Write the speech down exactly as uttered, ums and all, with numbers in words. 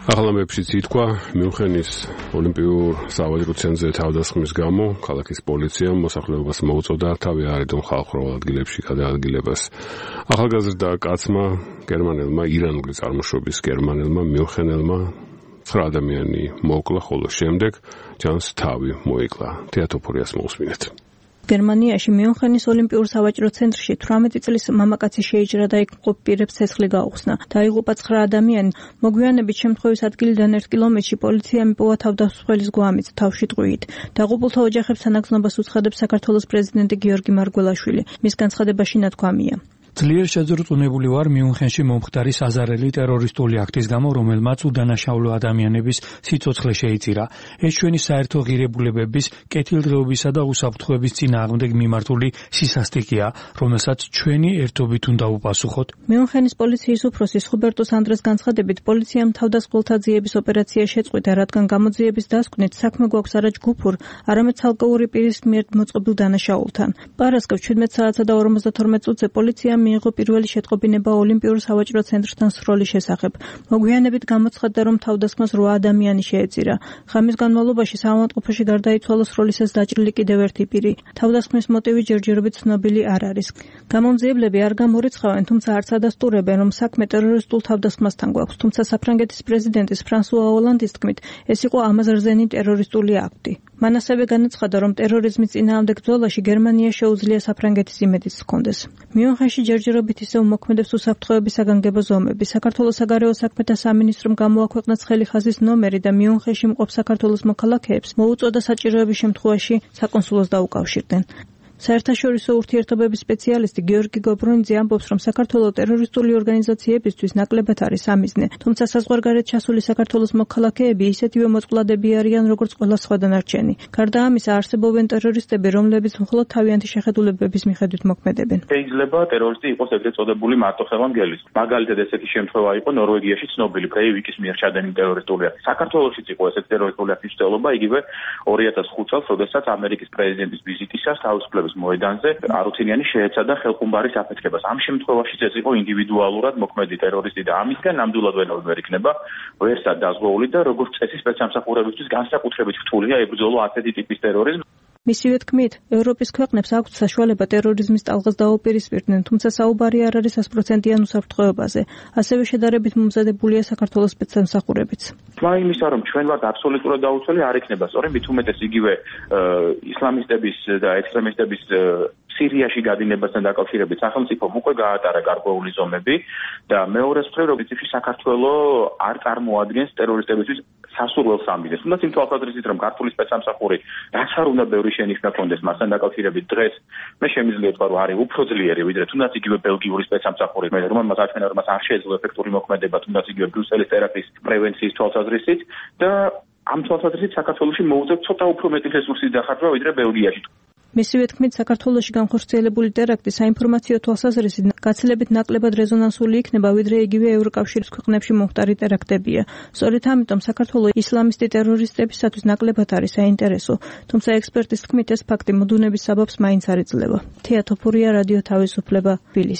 აღლამებში ითქვა მიუნხენის ოლიმპიურ სავაჭრო ცენტრზე თავდასხმის გამო ქალაქის პოლიციამ მოსახლეობას მოუწოდა თავი არიდონ ხალხურ ადგილებში გადაადგილებას. ახალგაზრდა კაცმა გერმანელმა ირანული წარმოშობის გერმანელმა მიუნხენელმა ცხრა ადამიანი მოუკლა, ხოლო შემდეგ ჯანს თავი მოიკლა. თეატოფორიას მოусმინეთ. გერმანიაში მიუნხენის ოლიმპიურ სავაჭრო ცენტრში თვრამეტი წლის მამაკაცი შეიჭრა და იქ მყოფ პირებს ცეცხლი გაუხსნა. დაიღუპა ცხრა ადამიანი. მოგვიანებით შემთხვევის ადგილიდან ერთ კილომეტრში პოლიციამ იპოვა თავდასხმის გვამიც თავში ტყვიით. დაღუპულთა ოჯახებს თანაგზნობას უცხადებს საქართველოს პრეზიდენტი გიორგი მარგველაშვილი. მის განცხადებაში ნათქვამია: ძლიერ შეძრწუნებული ვარ მიუნხენში მომხდარი საზარელი ტერორისტული აქტის გამო, რომელმაც უდანაშაულო ადამიანების სიცოცხლე შეიწირა. ეს ჩვენი საერთო ღირებულებების, კეთილდღეობისა და უსაფრთხოების წინააღმდეგ მიმართული სისასტიკეა, რომელსაც ჩვენი ერთობით უნდა უპასუხოთ. მიუნხენის პოლიციის უფროსის ხუბერტო სანდრას განცხადებით, პოლიციამ თავდასხმულთა ძიების ოპერაცია შეწყვიტა, რადგან გამოძიების დასკვნით საქმე გვაქვს არა ჯგუფურ, არამედ ცალკეული პირის მიერ მოწყობილ დანაშაულთან. პარასკევს ჩვიდმეტ საათსა და ორმოცდათორმეტ წუთზე პოლიციამ მიიღო პირველი შეტყობინება ოლიმპიურ სავაჭრო ცენტრთან სროლის შესახებ. მოგვიანებით გამოცხადდა, რომ თავდასხმას რვა ადამიანი შეეწირა. ღამის განმავლობაში საავადმყოფოში გარდაიცვალა სროლისას დაჭრილი კიდევ ერთი პირი. თავდასხმის მოტივი ჯერჯერობით ცნობილი არ არის. გამომძიებლები არ გამორიცხავენ, თუმცა არც ადასტურებენ, რომ საქმე ტერორისტულ თავდასხმასთან გვაქვს. თუმცა საფრანგეთის პრეზიდენტის ფრანსუა ოლანდის თქმით, ეს იყო ამაზრზენი ტერორისტული აქტი. მან ასევე განაცხადა, რომ ტერორიზმის წინააღმდეგ ბრძოლაში გერმანია შეუძლია საფრანგეთის იმედიც ჰქონდეს. მიუნხენში ჯერჯერობით ისევ მოქმედებს უსაფრთხოების საგანგებო ზომები. საქართველოს საგარეო საქმეთა სამინისტრომ გამოაქვეყნა ცხელი ხაზის ნომერი და მიუნხენში მყოფ საქართველოს მოქალაქეებს მოუწოდა საჭიროების შემთხვევაში საკონსულოს დაუკავშირდნენ. საერთაშორისო ურთიერთობების სპეციალისტი გიორგი გობრონიძე ამბობს, რომ საქართველოს ტერორისტული ორგანიზაციებისთვის ნაკლებად არის ამიზნე, თუმცა საზღვარგარეთ ჩასული საქართველოს მოქალაქეები ისეთივე მოწყვლადები არიან, როგორც ყველა სხვა დანარჩენი. გარდა ამისა, არსებობენ ტერორისტები, რომლებიც მხოლოდ თავიანთი შეხედულებების მიხედვით მოქმედებენ. შეიძლება ტერორისტი იყოს ეგრეთ წოდებული მარტოხელამგელი. მაგალითად, ესეთი შემთხვევა იყო ნორვეგიაში ცნობილი ბრეივიკის მიერ ჩადენილი ტერორისტული აქტი. საქართველოშიც იყო ესეთი ტერორისტული აქტის მცდელობა, იგივე ორი ათას ხუთ წელს, როდესაც ამერიკის პრეზიდენტის ვიზიტისას თავისუფლების მოედანზე არუთინიანი შეეცადა ხელხუმბარის აფეთქებას. ამ შემთხვევაშიც ეს იყო ინდივიდუალურად მოქმედი ტერორისტი და ამისგან ნამდვილად ვერ იქნება ვერსად დაზღვეული და როგორც წესი სპეცსამსახურებისთვის განსაკუთრებით რთულია ებრძოლო ასეთი ტიპის ტერორიზმს. მისივე თქმით, ევროპის ქვეყნებს აქვთ საშუალება ტერორიზმის ტალღას დაუპირისპირდნენ, თუმცა საუბარი არ არის ასპროცენტიან უსაფრთხოებაზე. ასევე შედარებით მომზადებულია საქართველოს სპეცსამსახურებიც. თქმა იმისა, რომ ჩვენ ვართ აბსოლუტურად დაუცველი არ იქნება, სწორედ მით უმეტეს იგივე ისლამისტების და ექსტრემისტების სირიაში გადინებასთან დაკავშირებით სახელმწიფომ უკვე გაატარა გარკვეული ზომები და მეორე მხრივ როგორც საქართველოს არ წარმოადგენს ტერორისტებისთვის სასურველ სამიზნეს. თუნდაც იმ თვალსაზრისით, რომ ქართული სპეცსამსახური რაც არ უნდა ბევრი შენიშვნა ჰქონდეს მასთან დაკავშირებით დღეს მე შემიძლია ვთქვა, რომ არის უფრო ძლიერი ვიდრე თუნდაც იგივე ბელგიური სპეცსამსახური, რომელმაც აჩვენა, რომ მას არ შეეძლო ეფექტური მოქმედება თუნდაც იგივე ბრიუსელის ტერაქტის პრევენციის თვალსაზრისით და ამ თვალსაზრისით საქართველოში მოუწევთ ცოტა უფრო მეტი რესურსის დახარჯვა ვიდრე ბელგიაში. მისივე თქმით, საქართველოში განხორციელებული ტერაქტი საინფორმაციო თვალსაზრისით გაცილებით ნაკლებად რეზონანსული იქნება, ვიდრე იგივე ევროკავშირის ქვეყნებში მომხდარი ტერაქტებია. სწორედ ამიტომ საქართველოს ისლამისტი ტერორისტებისათვის ნაკლებად არის საინტერესო, თუმცა ექსპერტის თქმით, ეს ფაქტი მოდუნების საბაბს მაინც არ იძლევა. თეატოფორია, რადიო თავისუფლება, თბილისი.